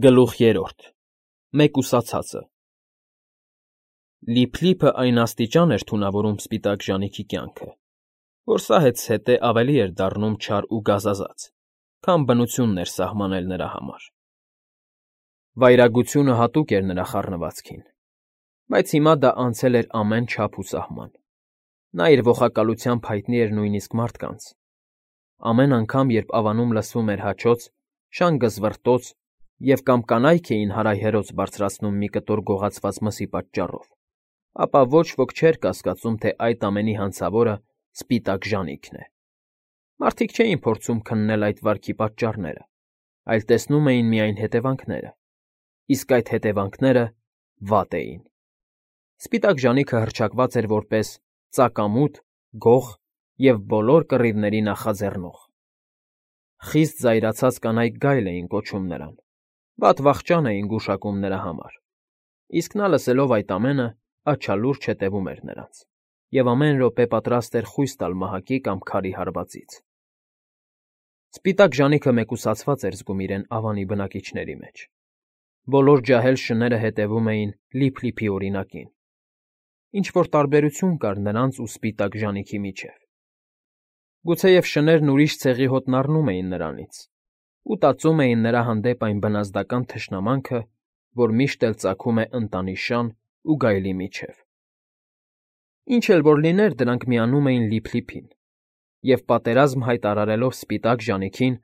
Գլուխ 3 Մեկուսացածը Լիփլիփը այն աստիճան էր թունավորում սպիտակ ժանիքի կյանքը, որ սա հետզհետե ավելի էր դառնում չար ու գազազած, քան բնությունն էր սահմանել նրա համար։ Վայրագությունը հատուկ էր նրա խառնվածքին, բայց հիմա դա անցել էր ամեն չափ ու սահման։ Նա իր ոխակալությամբ հայտնի էր նույնիսկ մարդկանց։ Ամեն անգամ, երբ ավանում լսվում էր հաչոց, շան գզվռտոց և կամ կանայք էին հարայհերոց բարձրացնում մի կտոր գողացված մսի պատճառով, ապա ոչ ոք չէր կասկածում, թե այդ ամենի հանցավորը սպիտակ ժանիքն է։ Մարդիկ չէին փորձում քննել այդ վարքի պատճառները, այլ տեսնում էին միայն հետևանքները, իսկ այդ հետևանքները վատ էին։ Սպիտակ ժանիքը հռչակված էր որպես ծակամուտ, գող և բոլոր կռիվների նախաձեռնող։ Խիստ զայրացած կանայք գայլ էին կոչում նրան, վատ վախճան էին գուշակում նրա համար, իսկ նա լսելով այդ ամենը աչալուրջ հետևում էր նրանց և ամեն րոպե պատրաստ էր խույս տալ մահակի կամ քարի հարվածից։ Սպիտակ ժանիքը մեկուսացված էր զգում իրեն ավանի բնակիչների մեջ։ Բոլոր ջահել շները հետևում էին Լիփլիփի օրինակին։ Ինչ-որ տարբերություն կար նրանց ու սպիտակ ժանիքի միջև։ Գուցեև շներն ուրիշ ցեղի հոտն առնում էին նրանից ու տածում էին նրա հանդեպ այն բնազդական թշնամանքը, որ միշտ էլ ծագում է ընտանի շան ու գայլի միջև։ Ինչ էլ որ լիներ, դրանք միանում էին Լիփլիփին, և պատերազմ հայտարարելով սպիտակ ժանիքին,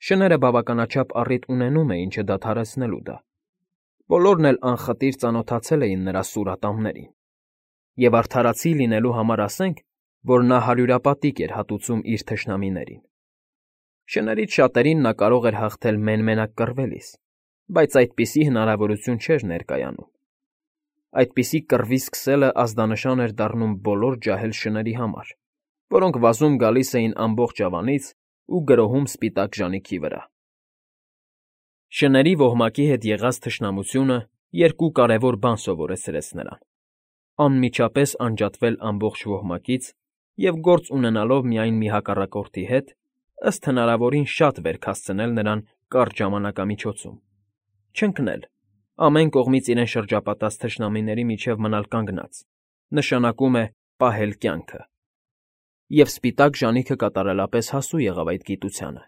շները բավականաչափ առիթ ունենում էին չդադարեցնելու դա։ Բոլորն էլ անխտիր ծանոթացել էին նրա սուր ատամներին, և արդարացի լինելու համար ասենք, որ նա հարյուրապատիկ էր հատուցում իր թշնամիներին։ Շներից շատերին նա կարող էր հաղթել մեն֊մենակ կռվելիս, բայց այդպիսի հնարավորություն չէր ներկայանում։ Այդպիսի կռվի սկսելը ազդանշան էր դառնում բոլոր ջահել շների համար, որոնք վազում գալիս էին ամբողջ ավանից ու գրոհում սպիտակ ժանիքի վրա։ Շների ոհմակի հետ եղած թշնամությունը երկու կարևոր բան սովորեցրեց նրան. անմիջապես անջատվել ամբողջ ոհմակից և գործ ունենալով միայն մի հակառակորդի հետ, ըստ հնարավորին շատ վերք հասցնել նրան կարճ ժամանակամիջոցում, չընկնել, ամեն կողմից իրեն շրջապատած թշնամիների միջև մնալ կանգնած, նշանակում է պահել կյանքը, և սպիտակ ժանիքը կատարելապես հասու եղավ այդ գիտությանը։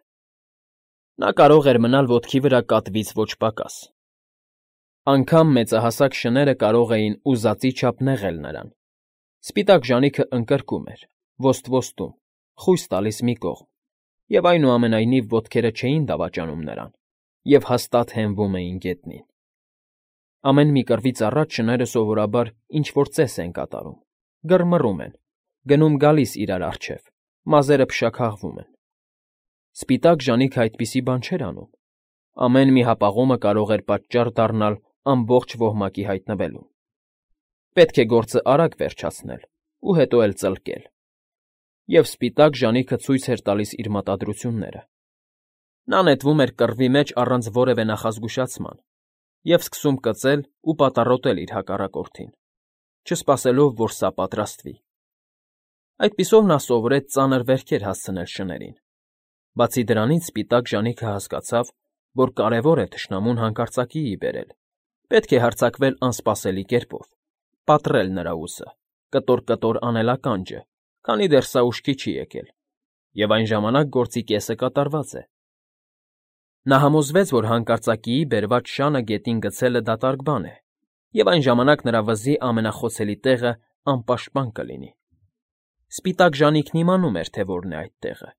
Նա կարող էր մնալ ոտքի վրա կատվից ոչ պակաս։ Անգամ մեծահասակ շները կարող էին ուզածի չափ նեղել նրան։ Սպիտակ ժանիքը ընկրկում էր, ոսტվոստում, խույս տալիս մի կողմ, և այնուամենայնիվ ոտքերը չէին դավաճանում նրան և հաստատ հենվում էին գետնին։ Ամեն մի կռվից առաջ շները սովորաբար ինչ֊որ ծես են կատարում, գրմռում են, գնում֊գալիս իրար առջև, մազերը փշաքաղվում են։ Սպիտակ ժանիքը այդպիսի բան չէր անում։ Ամեն մի հապաղումը կարող էր պատճառ դառնալ ամբողջ ոհմակի հայտնվելուն։ Պետք է գործը արագ վերջացնել ու հետո էլ ծլկել։ Եվ սպիտակ ժանիքը ցույց էր տալիս իր մտադրությունները։ Նա նետվում էր կռվի մեջ առանց որևէ նախազգուշացման և սկսում կծել ու պատառոտել իր հակառակորդին, չսպասելով, որ սա պատրաստվի։ Այդպիսով նա սովորեց ծանր վերքեր հասցնել շներին։ Բացի դրանից սպիտակ ժանիքը հասկացավ, որ կարևոր է թշնամուն հանկարծակիի բերել, պետք է հարձակվել անսպասելի կերպով, պատռել նրա ուսը, կտոր֊կտոր անել ականջը, քանի դեռ սա ուշքի չի եկել, և այն ժամանակ գործի կեսը կատարված է։ Նա համոզվեց, որ հանկարծակիի բերված շանը գետին գցելը դատարկ բան է, և այն ժամանակ նրա վզի ամենախոցելի տեղը անպաշտպան կլինի։ Սպիտակ ժանիքն իմանում էր, թե որն է այդ տեղը։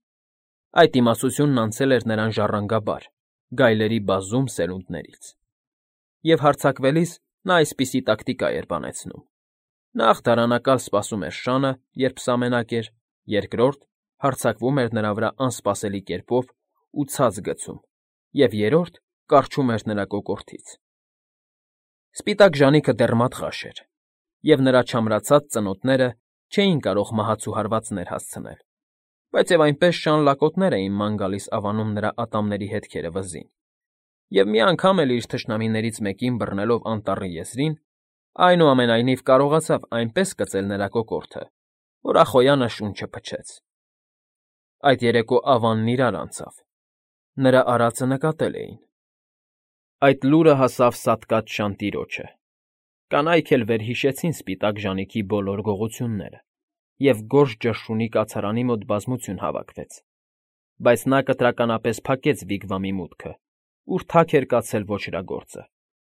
Այդ իմացությունն անցել էր նրան ժառանգաբար, գայլերի բազում սերունդներից։ Եվ հարձակվելիս նա այսպիսի տակտիկա էր բանեցնում. նախ դարանակալ սպասում էր շանը, երբ սա մենակ էր, երկրորդ՝ հարձակվում էր նրա վրա անսպասելի կերպով ու ցած գցում, և երրորդ՝ կառչում էր նրա կոկորդից։ Սպիտակ ժանիքը դեռ մատղաշ էր, և նրա չամրացած ծնոտները չէին կարող մահացու հարվածներ հասցնել, բայց և այնպես շան լակոտներ էին ման գալիս ավանում նրա ատամների հետքերը վզին, և մի անգամ էլ իր թշնամիներից մեկին բռնելով անտառի եզրին, այնուամենայնիվ կարողացավ այնպես կծել նրա կոկորդը, որ ախոյանը շունչը փչեց։ Այդ երեկո ավանն իրար անցավ։ Նրա արածը նկատել էին։ Այդ լուրը հասավ սատկած շան տիրոջը։ Կանայք էլ վերհիշեցին սպիտակ ժանիքի բոլոր գողությունները, և գորշ ճշրունի կացարանի մոտ բազմություն հավաքվեց, բայց նա կտրականապես փակեց Վիգվամի մուտքը, ուր թաք էր կացել ոչրագործը,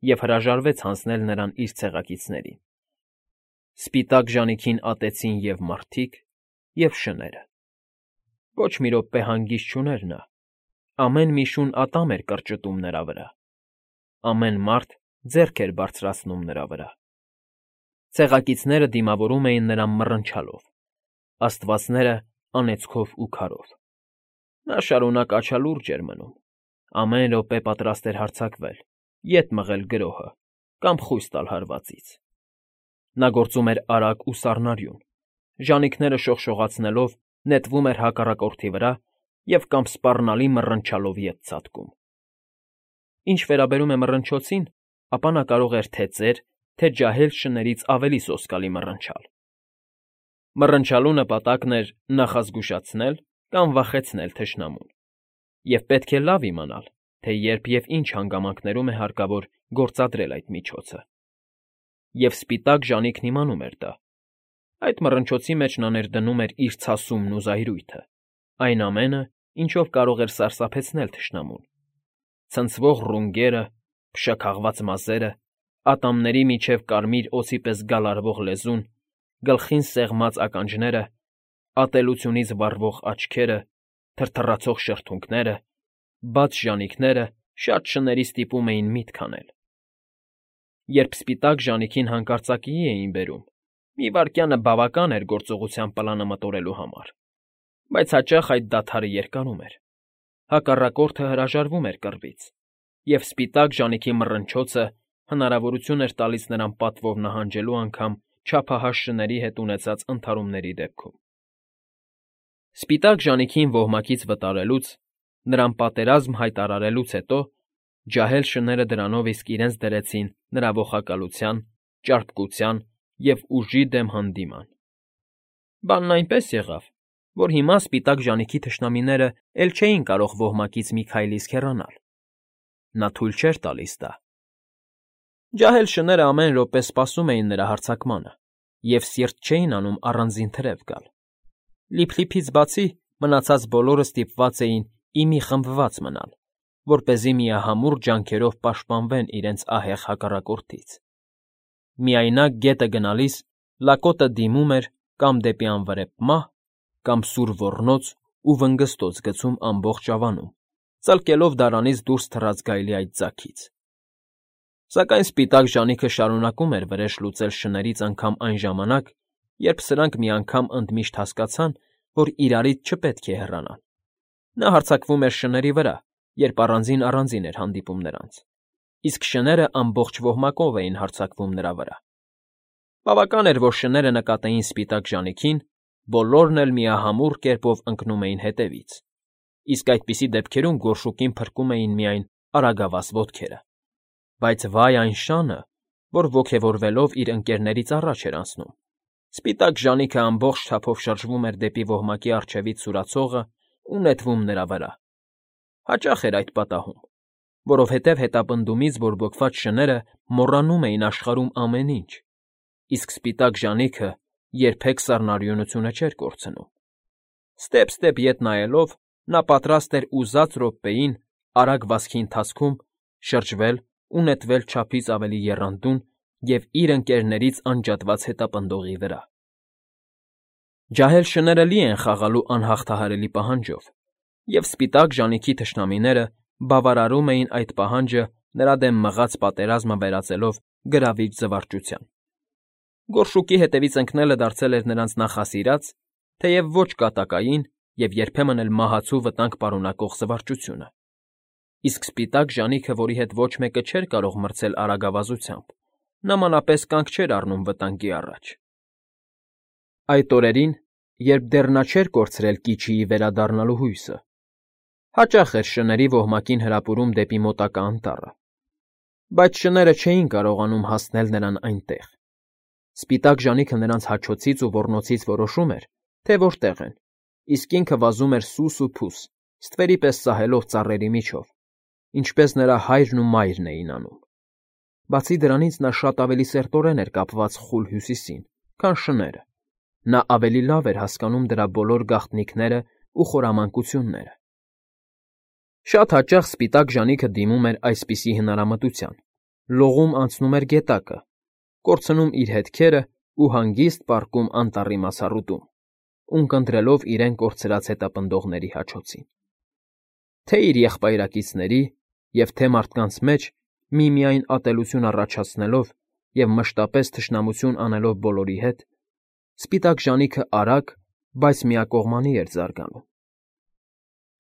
և հրաժարվեց հանձնել նրան իր ցեղակիցներին։ Սպիտակ ժանիքին ատեցին և մարդիկ, և շները։ Ոչ մի րոպե հանգիստ չուներ նա, ամեն մի շուն ատամ էր կրճտում նրա վրա, ամեն մարդ ձեռք էր բարձրացնում նրա վրա։ Ցեղակիցները դիմավորում էին նրան մռնչալով, աստվածները անեծքով ու քարով։ Նա շարունակ աչալուրջ էր մնում, ամեն րոպե պատրաստ էր հարձակվել, ետ մղել գրոհը կամ խույս տալ հարվածից։ Նա գործում էր արագ ու սառնարյուն, ժանիքները շողշողացնելով նետվում էր հակառակորդի վրա և կամ սպառնալի մռնչալով ետ ցատկում։ Ինչ վերաբերում է մռնչոցին, ապա նա կարող էր թե ծեր, թե ջահել շներից ավելի սոսկալի մռնչալ։ Մռնչալու նպատակն էր նախազգուշացնել կամ վախեցնել թշնամուն, և պետք է լավ իմանալ, թե երբ և ինչ հանգամանքներում է հարկավոր գործադրել այդ միջոցը։ Եվ սպիտակ ժանիքն իմանում էր դա։ Այդ մռնչոցի մեջ նա ներդնում էր իր ցասումն ու զայրույթը, այն ամենը, ինչով կարող էր սարսափեցնել թշնամուն։ Ցնցվող ռունգերը, փշաքաղված մազերը, ատամների միջև կարմիր օձի պես գալարվող լեզուն, գլխին սեղմած ականջները, ատելությունից վառվող աչքերը, թրթռացող շրթունքները, բաց ժանիքները շատ շների ստիպում էին միտք անել։ Երբ սպիտակ ժանիքին հանկարծակիի էին բերում, մի վայրկյանը բավական էր գործողության պլանը մտորելու համար, բայց հաճախ այդ դադարը երկարում էր։ Հակառակորդը հրաժարվում էր կռվից, և սպիտակ ժանիքի մռնչոցը հնարավորություն էր տալիս նրան պատվով նահանջելու անգամ չափահաս շների հետ ունեցած ընդհարումների դեպքում։ Սպիտակ ժանիքին ոհմակից վտարելուց, նրան պատերազմ հայտարարելուց հետո ջահել շները դրանով իսկ իրենց դրեցին նրա ողակալության, ճարպկության և ուժի դեմ հանդիման։ Բանն այնպես եղավ, որ հիմա սպիտակ ժանիքի թշնամիները էլ չէին կարող ոհմակից մի քայլ իսկ հեռանալ։ Նա թույլ չէր տալիս դա։ Ջահել շները ամեն րոպե սպասում էին նրա հարձակմանը և սիրտ չէին անում առանձին թրև գալ։ Լիփլիփից բացի մնացած բոլորը ստիպված էին ի մի խմբված մնալ, որպեսզի միահամուռ ջանքերով պաշտպանվեն իրենց ահեղ հակառակորդից։ Միայնակ գետը գնալիս լակոտը դիմում էր կամ դեպի անվրեպ մահ, կամ սուր ոռնոց ու վնգստոց գցում ամբողջ ավանում, ծլկելով դարանից դուրս թռած գայլի այդ ձագից։ Սակայն սպիտակ ժանիքը շարունակում էր վրեժ լուծել շներից անգամ այն ժամանակ, երբ սրանք մի անգամ ընդմիշտ հասկացան, որ իրարից չպետք է հեռանալ։ Նա հարձակվում էր շների վրա, երբ առանձին էր հանդիպում նրանց, իսկ շները ամբողջ ոհմակով էին հարձակվում նրա վրա։ Բավական էր, որ շները նկատեին սպիտակ ժանիքին, բոլորն էլ միահամուռ կերպով ընկնում էին հետևից, իսկ այդպիսի դեպքերում գորշուկին փրկում էին միայն արագավազ ոտքերը։ Բայց վայ այն շանը, որ ոգևորվելով իր ընկերներից առաջ էր անցնում։ Սպիտակ ժանիքը ամբողջ չափով շրջվում էր դեպի ոհմակի առջևից սուրացողը ու նետվում նրա վրա։ Հաճախ էր այդ պատահում, որովհետև հետապնդումից բորբոքված շները մոռանում էին աշխարհում ամեն ինչ, իսկ սպիտակ ժանիքը երբեք սառնարյունությունը չէր կորցնում։ Ստեպ ետ նայելով, նա պատրաստ էր ուզած րոպեին արագ վազքի ընթացքում շրջվել ու նետվել չափից ավելի եռանդուն և իր ընկերներից անջատված հետապնդողի վրա։ Ջահել շները լի են խաղալու անհաղթահարելի պահանջով, և սպիտակ ժանիքի թշնամիները բավարարում էին այդ պահանջը նրա դեմ մղած պատերազմը վերածելով գրավիչ զվարճության։ Գորշուկի հետևից ընկնելը դարձել էր նրանց նախասիրած, թեև ոչ կատակային և երբեմն էլ մահացու վտանգ պարունակող զվարճությունը։ Իսկ սպիտակ ժանիքը, որի հետ ոչ մեկը չէր կարող մրցել արագավազությամբ, նմանապես կանգ չէր առնում վտանգի առաջ։ Այդ օրերին, երբ դեռ նա չէր կորցրել Կիչիի վերադառնալու հույսը, հաճախ էր շների ոհմակին հրապուրում դեպի մոտակա անտառը, բայց շները չէին կարողանում հասնել նրան այնտեղ։ Սպիտակ ժանիքը նրանց հաչոցից ու ոռնոցից որոշում էր, թե որտեղ են, իսկ ինքը վազում էր սուս ու փուս, ստվերի պես սահելով ծառերի միջով, ինչպես նրա հայրն ու մայրն էին անում։ Բացի դրանից նա շատ ավելի սերտորեն էր կապված խուլ Հյուսիսին, քան շները։ Նա ավելի լավ էր հասկանում դրա բոլոր գաղտնիքներն ու խորամանկությունները։ Շատ հաճախ սպիտակ ժանիքը դիմում էր այսպիսի հնարամտության. լողում անցնում էր գետակը, կորցնում իր հետքերը ու հանգիստ պառկում անտառի մասառուտում, ունկնդրելով իրեն կորցրած հետապնդողների հաչոցին։ Թե իր եղբայրակիցների և թե մարդկանց մեջ միմիայն ատելություն առաջացնելով և մշտապես թշնամություն անելով բոլորի հետ, սպիտակ ժանիքը արագ, բայց միակողմանի էր զարգանում։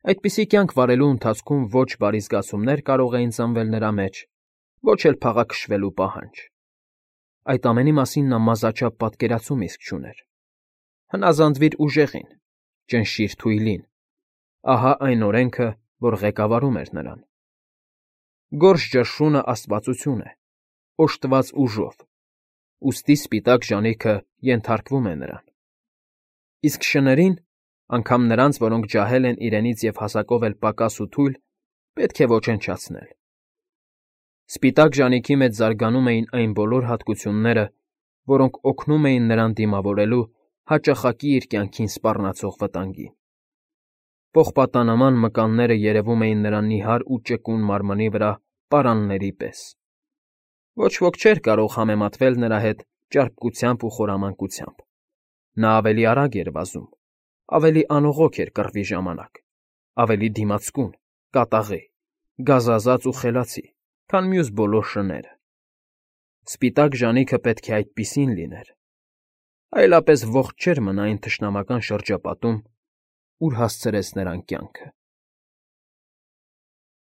Այդպիսի կյանք վարելու ընթացքում ոչ բարի զգացումներ կարող էին ծնվել նրա մեջ, ոչ էլ փաղաքշվելու պահանջ։ Այդ ամենի մասին նա մազաչափ պատկերացում իսկ չուներ։ Հնազանդվիր ուժեղին, ճնշիր թույլին, ահա այն օրենքը, որ ղեկավարում էր նրան։ Գորշ ճնշյունը աստվածություն է, օժտված ուժով, ուստի սպիտակ ժանիքը ենթարկվում է նրան։ Իսկ շներին, անգամ նրանց, որոնք ջահել են իրենից և հասակով էլ պակաս ու թույլ, պետք է ոչնչացնել։ Սպիտակ ժանիքի մեջ զարգանում էին այն բոլոր հատկությունները, որոնք օգնում էին նրան դիմավորելու հաճախակի իր կյանքին սպառնացող վտանգին։ Պողպատանման մկանները երևում էին նրա նիհար ու ճկուն մարմնի վրա պարանների պես։ Ոչ ոք չէր կարող համեմատվել նրա հետ ճարպկությամբ ու խորամանկությամբ։ Նա ավելի արագ էր վազում, ավելի անողոք էր կռվի ժամանակ, ավելի դիմացկուն, կատաղի, գազազած ու խելացի, քան մյուս բոլոր շները։ Սպիտակ ժանիքը պետք է այդպիսին լիներ, այլապես ողջ չէր մնա այն թշնամական շրջապատում, ուր հասցրեց նրան կյանքը։